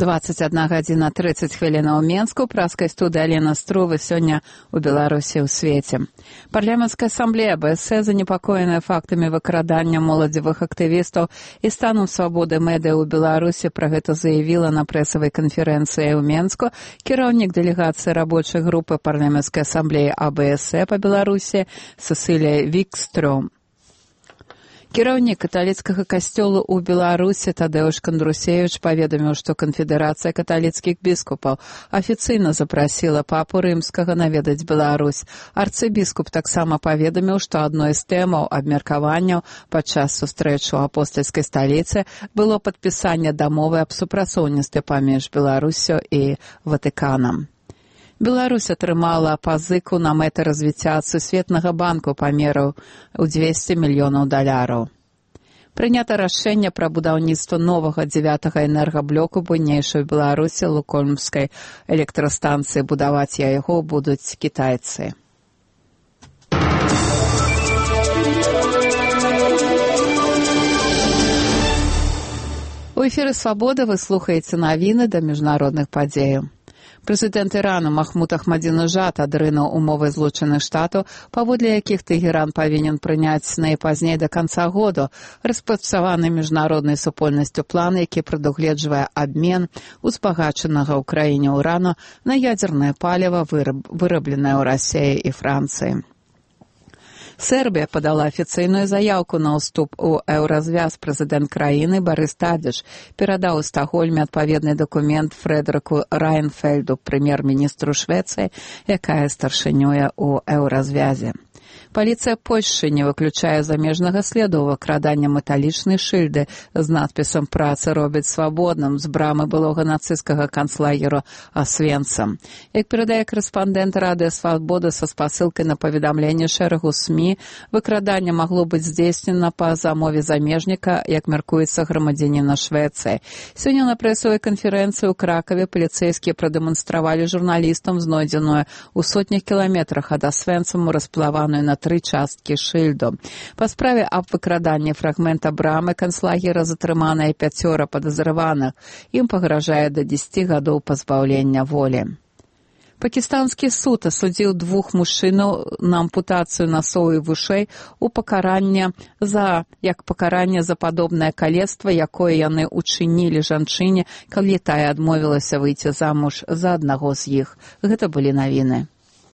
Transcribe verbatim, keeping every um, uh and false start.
двадцать одна гадзіна тридцать хвілінаў у Менску, праскай студыі Алена Струва сёння ў Беларусі ў свеце. Парламенцкая асамблея БСЭ занепакоеная фактамі выкрадання моладзевых актывістаў і станам свабоды медыа ў Беларусі. Пра гэта заявіла на прэсавай канферэнцыі ў Менску кіраўнік дэлегацыі рабочай групы парламенцкай асамблеі АБСЭ па Беларусі Сесілія Вікстрём. Кіраўнік каталіцкага касцёла ў Беларусі Тадэуш Кандрусевіч паведаміў, што канфедэрацыя каталіцкіх біскупаў афіцыйна запрасіла папу рымскага наведаць Беларусь. Арцыбіскуп таксама паведаміў, што адной з тэмаў абмеркаванняў падчас сустрэчы ў апостальскай сталіцы было падпісанне дамовы аб супрацоўніцтве паміж Беларуссю і Ватыканам. Беларусь атрымала пазыку на мэты развіцця Сусветнага банку памераў у дзвесце мільёнаў даляраў. Прынята рашэнне пра будаўніцтва новага дзевятага энергаблоку буйнейшай у Беларусі Лукомскай электрастанцыі. Будаваць яго будуць кітайцы. У эфіры «Свабода» вы слухаеце навіны да міжнародных падзеяў. Прэзідэнт Ірану Махмуд Ахмадзінежад адрынуў умовы Злучаных Штатаў, паводле якіх Тэгеран павінен прыняць найпазней да канца году распрацаваны міжнароднай супольнасцю план, які прадугледжвае абмен узбагачанага ў краіне ўрану на ядзернае паліва, вырабленае ў Расіі і Францыі. Сербія падала афіцыйную заяўку на ўступ у еўразвяз. Прэзідэнт краіны Барыс Тадзіч перадаў у Стакгольме адпаведны дакумент Фрэдэрыку Райнфельду, прэм'ер-міністру Швецыі, якая старшынюе ў еўразвязе. Паліцыя Польшчы не выключае замежнага следу выкрадання металічнай шыльды з надпісам «Праца робіць свабодным» з брамы былога нацысцкага канцлагеру Освенцим. Як перадае корэспандэнт Радыё Свабода са спасылкай на паведамленне шэрагу СМІ, выкраданне магло быць здзейснена па замове замежніка, як мяркуецца грамадзяніна Швецыі. Сёння на прэсавай канферэнцыі ў Кракаве паліцэйскія прадэманстравалі журналістам знойдзеную ў сотнях кіламетрах ад Освенциму расплаваную на тры часткі шыльду. Па справе аб выкраданні фрагмента брамы канцлагера затрыманыя пяцёра падазраваных. Ім пагражае да дзесяці гадоў пазбаўлення волі. Пакістанскі суд асудзіў двух мужчынаў на ампутацыю насоў і вушэй у пакаранне за як пакаранне за падобнае калецтва, якое яны учынілі жанчыне, калі тая адмовілася выйти замуж за аднаго з іх. Гэта былі навіны.